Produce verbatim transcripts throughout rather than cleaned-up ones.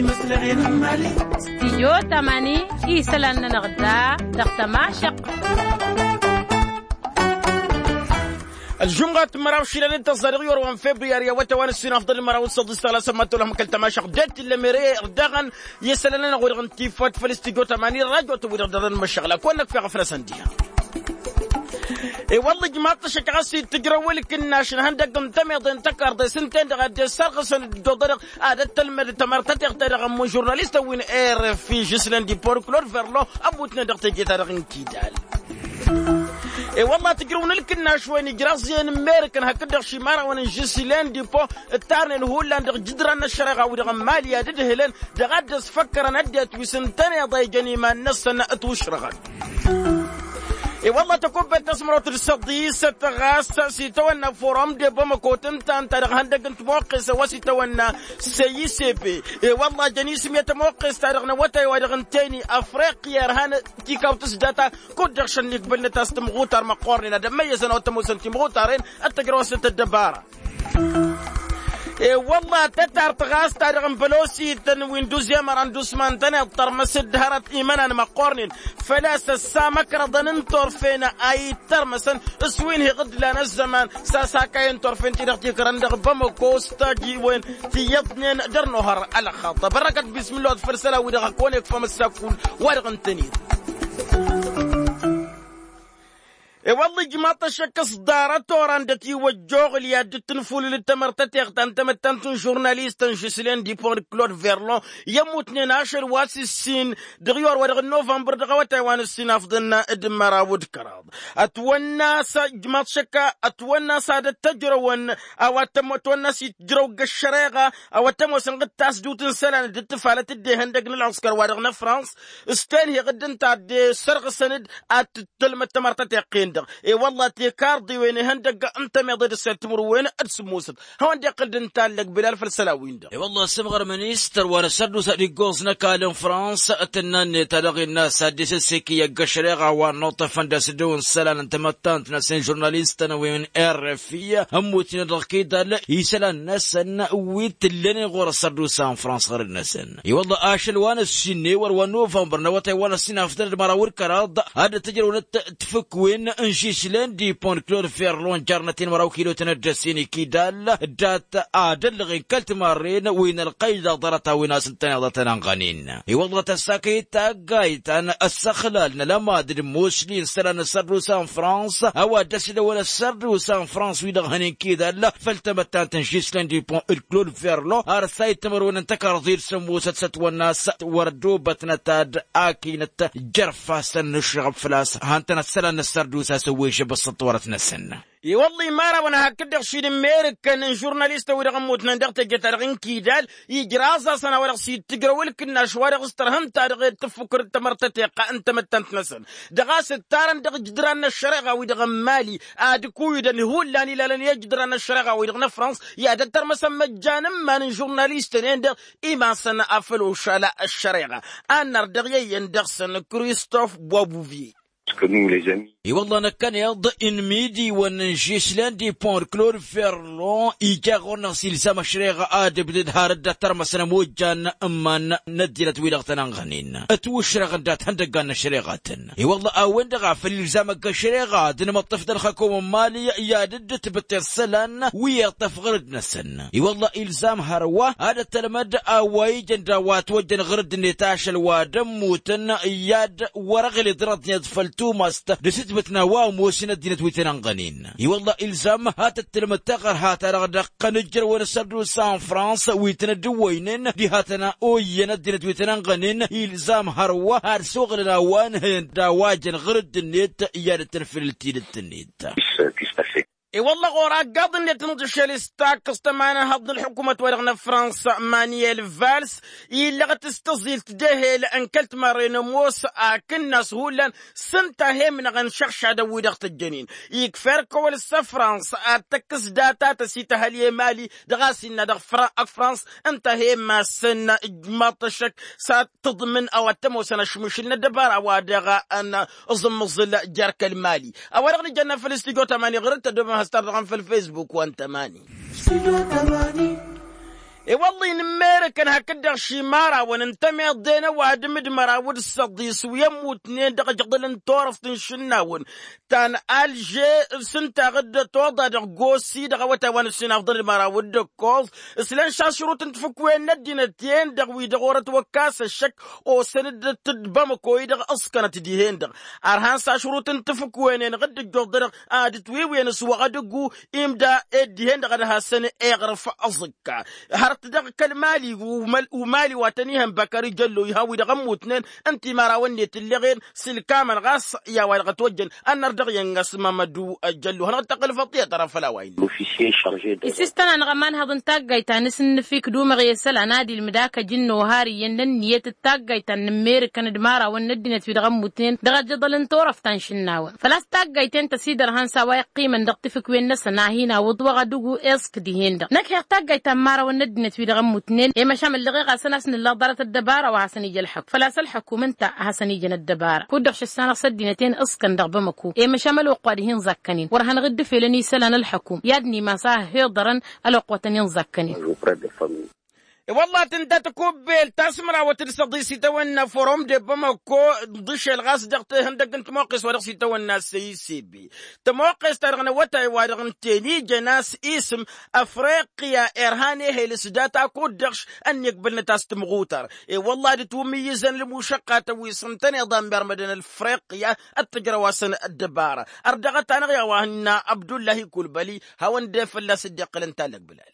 Studio tamani isălan-nănăɣ da dăɣ-tămašăq. Ălžumɣat măraw šilănit tăẓẓa dăɣ-iwăr wa n-februyari awătay wa n-ǝssin afḍăl măraw n-săḍis tăla sămmat tolăh măkăl tămašăq d-tillămere dăɣ-n i-isălan-nănăɣ wi-dăɣ n-tifot făll-studio tamani rajo tăwwi-dăɣ dăɣ-nănmăššăɣla kăwăn-năkf i-ɣăfrăsăn diha. I-wălla ijmaḍ-t ăššăk ɣas ittǝjrăw ǝlkǝnnaš n-ihăndăgg n-tămiḍe n-tăkarḍe s-ǝnta-en-dăɣ a dd-e-sărɣǝsăn dd-oḍădăɣ ad-ăttălmăd tamărtăteɣt-ta-dăɣ ămmun žurnalistăn wi n-rfi žislen dipor klod verlo ămmutnen dăɣ-teje-ta-dăɣ n-kidal. I-wălla tǝjrǝw n-ǝlkǝnnaš-wen ijraẓ-en n-merǝkăn hakd-dăɣ šimărawăn n-žislen dipo ǝttarnen hullan dăɣ-jǝdran n-ăššăreɣa-wi-dăɣ n-mali ad-ǝdhǝlăn dăɣ-ad-dd-ăsfăkkărăn ăddinăt wi s-ǝntăneḍ a ijăn iman-năsăn ǝtwǝšrăɣăn. I-wălla tăkubbet tasmărot d-săḍisăt ɣas s-itawănna forum de bamăko tǝnta ǝnta dăɣ-ihăndăgg n-timoqqes a-wa s-itawănna seyisebe. I-wălla jăn isǝm i-tămoqqes-ta-dăɣ n-awătay wa dăɣ-ǝntăyni afriqya irhan tikawt s-data kud-dăɣ šănnikbălnăt a-s timɣutar măqqoornen ad-ămmăyyăsăn a-wa t-ămoosăn timɣutaren ad-tăjrăwăsnăt ăddăbara. I-wălla tătart ɣas ta dăɣ-n bălosităn wi n-duzemăra n-dusma ǝntăneḍ tărmăs-dd hărăt imănan măqqoornen făl-a-s ăssamăkrăḍăn n-turfen a ittărmăsăn s-wi n-hi-iɣǝdlan ăzzăman s-a-s akayăn turfen-ti-dăɣ tikrăn dăɣ-bamăko s-tajiwen ti iyyăḍnen dăr-nohăr ălxaḍt ăbărrăkăt bismǝllah wa t-făll-isălan-wi-dăɣ a kăwăn-ikfăm ăssakul wa-dăɣ ǝntăned. I-wălla ijmaḍ-t ăššăk s-ḍarăt oran dăt-iwăjja oɣǝl i-ad-dd-tǝnfulǝl d-tamărtăteɣt ta n-tamăttant n-žurnalistăn žislen dipon d-klod verlon i-ămmutnen ašăl wa s-ǝssin dăɣ-iwăr wa dăɣ-novămbăr dăɣ-awătay wa n-ǝssin afḍăn d-măraw d-kăraḍ. Ătwănna a-s ijmaḍ šăkka ătwănna a-s ad-ăttăjrăwăn a-wa t-ătwănna a-s itjrăw ăgg-ăššăreɣa a-wa t-ămoosăn ɣǝd tasdut n-isălan d-ǝttǝfalăt d-ehăndăg n-ălɣǝskăr wa dăɣ-năfrans s-tenhi ɣǝdd ǝnta a dd-sărɣǝsăn-dd ad-tǝttǝlmăd tamărtăteɣt-en-dăɣ. I-wălla tikarḍiwen ihăndăgg n-tămiḍe d-săr timǝrwen d-sǝmmosăt hawăn-dd-iqqǝl d-intallăg bilal făll-isălan-win-dăɣ. I-wălla ăssămɣărmăn i-s tărwa n-asărdusa d-iggoẓ n-ăkall n-frans tǝnna-net a dăɣ-innă a-s ad-dd-isǝssek i-ăgg-ăššăreɣa a-wa ănnuṭṭăfăn d-asǝddew n-isălan n-tamăttant-năsăn žurnalistăn wi n-rfi ămmutnen dăɣ-kidal isălan-năsăn wi t-ǝllănen ɣur-asărdusa n-frans ɣărăd-năsăn. I-wălla ašăl wa n-ăssinnăy wăr wa n-novămbăr n-awătay wa n-ăssin afḍăn d-măraw d-kăraḍ ad-dd-tǝjrăwnăt tǝfǝkwen n-žislen dipon d-klod ferlon jarnăt-in măraw kilotăn ăddăsen ikidal dat-ad-ăllăɣen kăl-timarren wi n-ălqăyda ḍarăt-a-wen a-s ǝntăneḍ a tăn-ănɣănen. I-wălla tăssakăyăt taggayt ta n-ăssăxlal n-alămad d-mosli n-isălan n-ăssărdusa n-frans a-wa dd-ăsidăwăn ăssărdusa n-frans wi-dăɣ hănen kidal făll-tamăttant n-žislen dipon d-klod ferlon ar s-a ittămărwen n-tăkarḍe d-sămoosăt s-ătwănna a-s wăr ădobătnăt ad-akinăt jer-ifassăn n-ǝššăɣăb făl-a-s hantăn ăssălan n-ăssărdusa s-ăwwejăb ăssăṭṭorăt-năsăn. I-wălla imarawăn hakd-dăɣ šidǝmmerǝkăn n-žurnalistăn wi-dăɣ ămmutnăn dăɣ-teje-ta-dăɣ n-kidal ijraẓ-asăn a-wa dăɣ-s ittǝjrăw ǝlkǝnnaš wa dăɣ-s tărhǝn-ta-dăɣ i-tǝffukăr d-tamărtăteɣt n-tamăttant-năsăn dăɣ-a-s ǝttarăn dăɣ-ijǝdran n-ăššăreɣa-wi-dăɣ n-mali ad-ǝkuyǝdăn hullan ilalăn i-ijǝdran n-ăššăreɣa-wi-dăɣ n-afrans i-ad-ăttărmăsăn măjjan n-iman n-žurnalistăn-en-dăɣ iman-săn afăl ošala ăššăreɣa. Ad-nărdăɣ i-iyyăn dăɣ-săn kristof bobuvier. I-wălla năkkăneḍ inmidiwăn n-žislen dipon d-klod ferlon ija ɣur-năɣ s-ilzam ăššăreɣa ad-ǝbdǝd har dd-ăttărmăsăn ămojjan n-iman n-ăddinăt-wi-dăɣ tăn-ănɣănen ătwǝšrăɣăn dat-ihăndăggan n-ăššăreɣatăn. I-wălla a-wen-dăɣ a făl ilzam ăgg-ăššăreɣa ad-nǝmǝṭṭǝf d-ălxăkom n-mali i-ad-dd-tǝbǝtte isălan wi iṭṭăf ɣǝrǝd-năsăn. I-wălla ilzam hărwa ad-ăttălmăd a-wa ijăn d-a-wa ătwăjjăn ɣǝrǝd-net ašăl wa d-ămmutăn i-ad-wăr-ăɣled ănăḍnet făll-tumast d-asǝtbǝt n-a-wa ămoosăn ăddinăt wi tăn-ănɣănen. I-wălla ilzam ad-tăttălmăd taɣărha-ta-dăɣ dăɣ-tăn-ǝjrăwăn asărdusa n-frans wi tăn-ădǝwwăynen diha tăn-oyyăn ăddinăt wi tăn-ănɣănen ilzam hărwa ad-soɣlăn a-wa ǝnhăyăn d-a-wa jăn ɣǝrǝdd-net i-ad-ăttănfǝlǝl tidǝt-net. I-wălla ɣur-aggaḍ-net n-aḍǝšel s-takkăẓt ămanhăḍ n-ălḥukumăt-wa-dăɣ n-afrans manuel vals illăɣăt s-tăẓilt d-ehel n-kăl-timarre n-ămoos akǝnnas hullan s-ǝnta a he-ǝmnăɣăn šăɣšadăn-wi-dăɣ tăjjănen. Ikfa erk ăwăl s-afrans ad-tăkkăs data tăsităhăl i-emali dăɣ-a-s innă dăɣ-afrans ǝnta a he-imassăn ǝjmaḍ-t ăššăk s-ad-tǝḍmǝn a-wa t-ămoosăn ašmǝšǝl n-ăddăbara wa dăɣ-a n-aẓǝmmǝẓǝl jer-kăl-mali. A-wa dăɣ-nǝjănna făll-studio tamani ɣur-dd tăddomăm has-tar dăɣ-an făll-facebook wa n-tamani. I-wălla-i nǝmmerǝkăn hakd-dăɣ šimărawăn n-tămeḍe n-ăwadǝm d-măraw d-săḍis wi ămmutnen dăɣ-ajăḍăl n-turăft n-išǝnnawăn ta n-alže s-ǝnta ɣǝddăt oḍa dăɣ-gosi dăɣ-awătay wa n-ǝssin afḍăn d-măraw d-ǝkkoẓ. S-lăn šašrut n-tafǝkwen n-ăddinăt-en-dăɣ wi-dăɣ orăt wăkkas ăššăk osăn-dd d-bamăko-i-dăɣ ǝẓkănăt dihen-dăɣ. Ărhan s-ašrut n-tafǝkwen-en ɣǝdd-ǝjjoḍ-dăɣ ad-ǝtwiwǝyăn s-wăɣ adǝggu imda ed dihen-dăɣ ad-hasăn-eɣrǝf aẓǝkka. Hărăt dăɣ-kăl-mali umali wa tăn-ihăn băkări jăllo ihăn wi-dăɣ ămmutnen n-timărawăn-net ǝlleɣen s-ǝlkamăn ɣas i-a-wa dăɣ-ătwăjjăn ănnăr dăɣ-iyyăn ɣas mămădu jăllo hanăɣ-dd-tăqqǝl făṭṭiyăt ara făll-a-wa innă. Isistăn-anăɣ ămanhăḍ n-taggayt ta n-asǝnnǝfik d-umăɣ i-isălan ad-ilmǝd akăj n-nohar iyyăn d-ănniyăt d-taggayt ta n-nǝmmerǝkăn d-imărawăn n-ăddinăt wi-dăɣ ămmutnen dăɣ-ajăḍăl n-turăft ta n-išǝnnawăn făl-a-s taggayt-en tăsidărhăn s-a-wa iqqimăn dăɣ-tafǝkwen-năsăn a hin-awǝḍ wăɣ-ad-ugu iẓk dihen-dăɣ năkk heɣ taggayt ta n-imărawăn n-ăddinăt wi-dăɣ ămmutnen i-măšan ǝllăɣeɣ-asăn a-s nǝllăɣ ḍarăt ăddăbara wa hasăn-ija ălxukm făl-a-s ălxukm ǝnta a hasăn-ijăn ăddăbara kud-dăɣ šăssanăɣ s-ăddinăt-en ǝẓkăn dăɣ-bamăko i-măšan mălwăqq wa d-hin-ẓakkănen wăr hanăɣ-dd-ǝfelăn isălan ălxukm i-ad-nimas a hăhiḍărăn ălwăqq wa tăn-in-ẓakkănen. I-wălla tǝnta takubbelt ta s-mărawăt d-săḍis itawănna forum d-bamăko ḍǝšel ɣas dăɣ-tehăndăgg n-tămoqqes wa dăɣ-s itawănna s-e-isebe tămoqqes-ta-dăɣ n-awătay wa dăɣ-n ten-ijăn a-s isǝm ăfriqya irhan ehel s-data kud-dăɣ ănni ăgbălnăt a-s tǝmɣutar. I-wălla ad-ǝtwǝmmǝyyǝzăn ălmušăqqatăn wi s-ǝntăneḍ a ǝmmermădăn ălfriqya d-tǝjrăw-asăn ăddăbara. Ărdăɣăt-anăɣ i-a-wa hǝnna abdullahi kulbăli hawăn-dd-e fălla-s dd-iqqǝlăn tallăg bǝlal.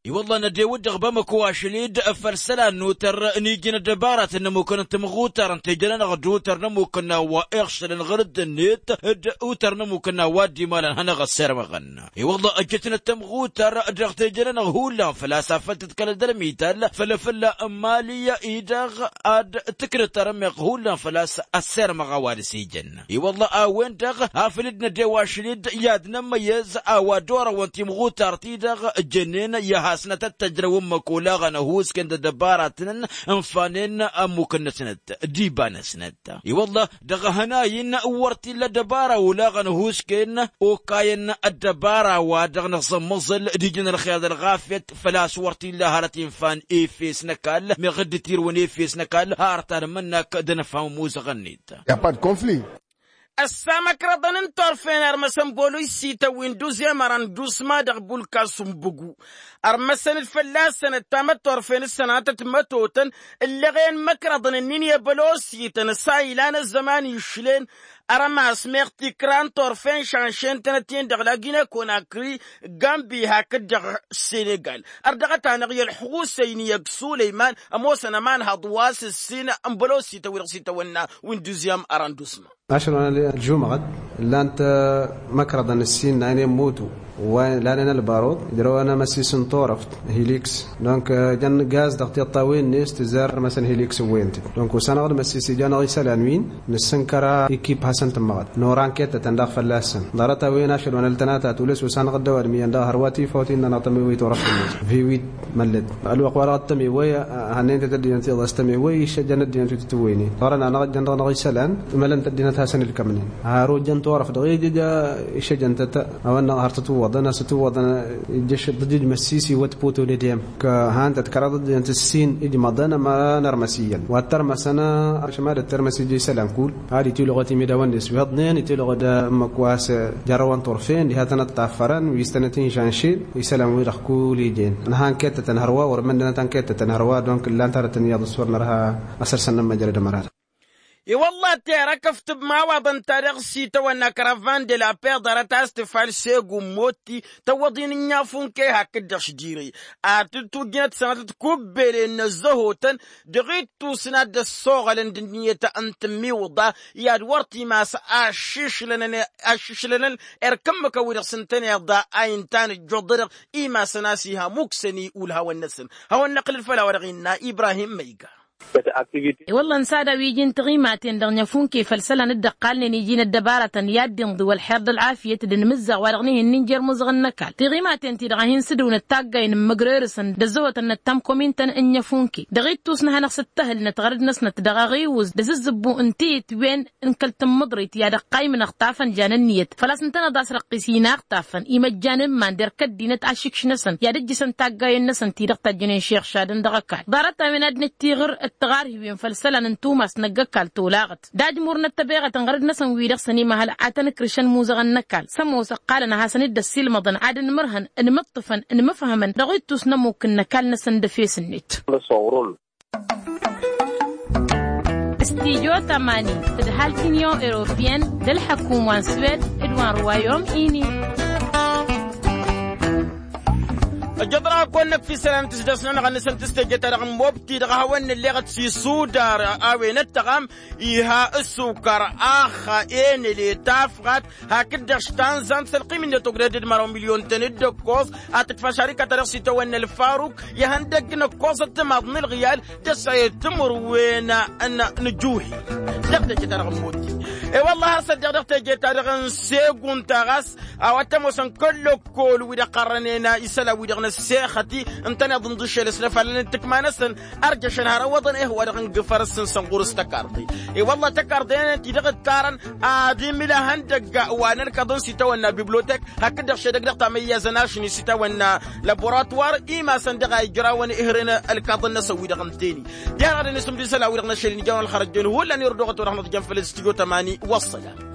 I-wălla nădewăt dăɣ-bamăko ašăl-dd făll-isălan n-otăr n-ijăn ăddăbaratăn n-ămmukăn n-tămɣutar ǝnta ijăn-anăɣ d-otăr n-ămmukăn n-a-wa iɣšălăn ɣăr dd-net d-otăr n-ămmukăn n-a-wa dd-imalăn hanăɣ-ăssirmăɣăn. I-wălla ăjjătnăt tămɣutar dăɣ-tejăn-anăɣ hullan făl-a-s afăl tǝḍkălăt d-ălmital făll-afălla n-mali-i-dăɣ ad-tǝkrǝt arămeɣ hullan făl-a-s ăssirmăɣ a-wa dăɣ-s ijăn. I-wălla a-wen-dăɣ afăl dd-nădew ašăl-dd i-ad-nămmăyyăz a-wa dd-orăwăn timɣutar-ti-dăɣ jănnen i-ad-hasnăt ăttăjrăw ǝmmǝk olaɣăn ăhuusken d-ăddăbaratăn ǝnfanen ămmuk-năsnăt d-iba-năsnăt. I-wălla dăɣ-ehănay-in wăr t-illa ăddăbara olaɣăn ăhuusken okayăn ăddăbara wa dăɣ-năẓămmăẓăl d-ijăn ălxer d-ălɣafyăt făl-a-s wăr t-illa hărăt infan efes n-ăkall meɣ dd-tirǝwăn efes n-ăkall har ta d-mănnak d-ănfan muzăɣ-net. Ăssa măkrăḍăn n-turfen ărmăsăn bălu isităn wi n-duzem ărăn dusma dăɣ-bulka sumbǝgu ărmăsăn-dd fălla-săn ăttamăt turfen s-sănatăt mătotăn ǝllăɣen măkrăḍăn ǝnnin i-bălosităn s-a ilan ăzzăman išlen. Ărmas meɣ tikra n-turfen šanšen-tănăt-in dăɣ-lagine konakri gambi hakd-dăɣ senegal. Ărdăɣăt-anăɣ i-ălxusăyni i-ăgg sulăyman ămoosăn ămanhăḍ wa s-ǝssin n-bălosităn wi dăɣ-s itawănna wi n-duzem ărăn dusma. Ašăl wa n-ălžumăɣăt ǝllan-t măkrăḍăn ǝssin n-a ănemmut wa lanen ălbaruḍ ǝjrăwăn amăssis n-turăft hiliks. Donc jăn gaz dăɣ-tiṭṭawen-net tǝzzar ărmăsăn hiliks ǝwwăyăn-t-dd donc osanăɣ-dd măssis ija-năɣ isălan-win nǝssǝnkăr a ikip hasăn-tǝmmăɣăt nora n-kettătăn daɣ fălla-săn. Ḍarăt-a-wen ašăl wa n-ăltănata tulǝs osanăɣ-dd ăwadǝm iyyăn daɣ hărwa tifawt innă-năɣ tămewăyt orăft-net viwit măllăt ălwăqq-wa-dăɣ d-tămewăy. Hannăyăn-t ăddinăt iyyăḍ a-s tămewăy iššăjjăn ăddinăt wi tǝtǝwwăynen ɣărăn-anăɣ ăjjăn-dăɣ-năɣ isălan. Mălăn-t ăddinăt hasăn-ǝlkămnen har ojjăn turăft dăɣ-ija iššăjjăn-tăt a-wa n-năɣ har tǝtǝwwăḍăn a-s tǝtǝwwăḍăn. Ija ǝššăḍ ǝjǝj măssis iwăt putu n-edhem. Kăhan-tăt kăraḍ ăddinăt ǝssin ijmăḍăn ămăra n-ărmăs iyyăn wa t-ărmăsăn ašămad ăttărmăs ija isălan kull ad-itiluɣăt imidawăn-net wi hăḍnen itiluɣăt ǝmmǝk wa s-jărrăwăn turfen diha tănăt-taffărăn wi s-tănăt-inšanšen. Isălan-wi-dăɣ kull ijen nǝha n-kettătăn hărwa wăr măndănăt ănkettătăn hărwa donc ǝllan-t arătăn iyyăḍ s-wăr nărha. Asăr-săn n-ămmăjrăd ămăra-dăɣ. I-wălla terăkăft n-imawaḍăn-ta-dăɣ s-itawănna kăravvan de la paix ḍarăt a-s tǝfal segu n-motti tăwwăḍ-in ǝnniyafu n-kăy hakd-dăɣ šdire ad-tǝtwǝjjǝnăt sănatăt kubbelen n-ăzzăhotăn dăɣ-ittus n-ad-dd-ăssoɣălăn d-ǝnniyăt n-tǝmmiwǝḍa i-ad-wăr t-imas ašišlănăn erk ǝmmǝkăn wi-dăɣ s-ǝntăneḍ a inta n-ǝjjuḍădăɣ imasăn a-s iha muksăn i-ulhawăn-năsăn. Hawăn-năqlǝl făll-a-wa dăɣ-innă ibrahim măyga. I-wălla ănsa a-wen iji n-tiɣimaten dăɣ-nǝfunke făll-isălan dd-ăqqalnen iji n-ăddăbaratăn i-ad-dd-inḍǝw ălxer d-ălɣafyăt d-inmǝzzaɣ wa dăɣ-nihen n-injer muẓăɣăn n-ăkall tiɣimaten-ti-dăɣ a hin-sǝdǝwnăt taggayen n-imǝgrerǝsăn d-ăzzăhotăn n-ăttamkomin-tăn n-nǝfunke dăɣ-ittus n-ad-hanăɣ-sǝttăhǝlnăt ɣărăd-năsnăt dăɣ-aɣiwǝz d-azǝzzǝbbu n-tiyǝtwen n-kăl-tǝmmǝḍrit i-ad-ăqqaymǝnăɣ tafăn jan ǝnniyăt făl-a-s ǝntăneḍ a-s răqqis inaɣ tafăn imăjjan n-iman d-erk ăddinăt ašǝkš-năsăn i-ad-ǝjjǝsăn taggayen-năsăn ti-dăɣ tajjănen šixšadăn dăɣ-ăkall ḍarăt-a-wen ad-năj tiɣǝr d-tiɣarhiwen făll-isălan n-tumas năgg-ăkall tolaɣăt d-ajmur n-ăttăbeɣăt n-ɣărăd-năsăn wi-dăɣ săn imăhăl ad-tăn-ǝkrǝšăn imuzăɣăn n-ăkall s-ămoos ǝqqalăn ad-hasăn-dd-ăssiilmăḍăn ad-ǝnmărhăn ǝnmǝṭṭǝfăn ǝnmǝfhămăn dăɣ-ittus n-ămmuk n-ăkall-năsăn d-efes-net. S-tidyo tămani tǝdhal tinyon europiyăn d-ălḥăkum wa n-swed d-wa n-ruwayom ini. Ăjjăḍ-dăɣ ad-kăwăn-năkf isălan n-tisdăsnănăɣ-năsăn tǝstejăt-ta-dăɣ n-mobti dăɣ-a hawăn-nǝlleɣăt s-isudar a-wen ăttăɣam iha ǝssukăr, axa, enăle, tafɣat hakd-dăɣ s-tanzant s-ălqim-net ogdăd d-măraw milyon-tăn d-ǝkkoẓ ad-tǝkfa šarika-ta-dăɣ s-itawănna ălfaruk ihăndăgg n-ǝkkoẓăt timaḍ n-ǝlɣiyal d-ăssayăt timǝrwen n-nǝjuhi. Dăɣ-tejăt-ta-dăɣ n-mobti. E-wălla hasăt-dăɣ dăɣ-teje-ta-dăɣ n-segunt a ɣas a-wa t-ămoosăn kăl-lăkkol wi-dăɣ ɣărrănen isălan-wi-dăɣ n-ăssexăt-i ǝntăneḍ ǝnḍǝššel s-lăfalăn n-tǝkma-năsăn. Ărjăšăn har ăwwăḍăn ehăw-wa-dăɣ n-gǝfăr ǝssǝnsăn ɣur-s tăkarḍe. E-wălla tăkarḍe-nănăt-i-dăɣ ǝttarăn ad-imǝl ahăndăgg wa n-ălkăḍăn s-itawănna bibliotek hakd-dăɣ šedăgg dăɣ-tamăyyazăn ašni s-itawănna laboratuwar imasăn dăɣ-a ijrawăn ihren ălkăḍăn-năsăn wi-dăɣ ǝntăne. Diha-dăɣ dăɣ-nǝsǝmdǝy isălan-wi-dăɣ n-ašăl inijawăn ălxărăjjăn hullan irǝw dăɣ-ătwănăɣ n-ad-jăn făll-studyo tămani. Wăssălam.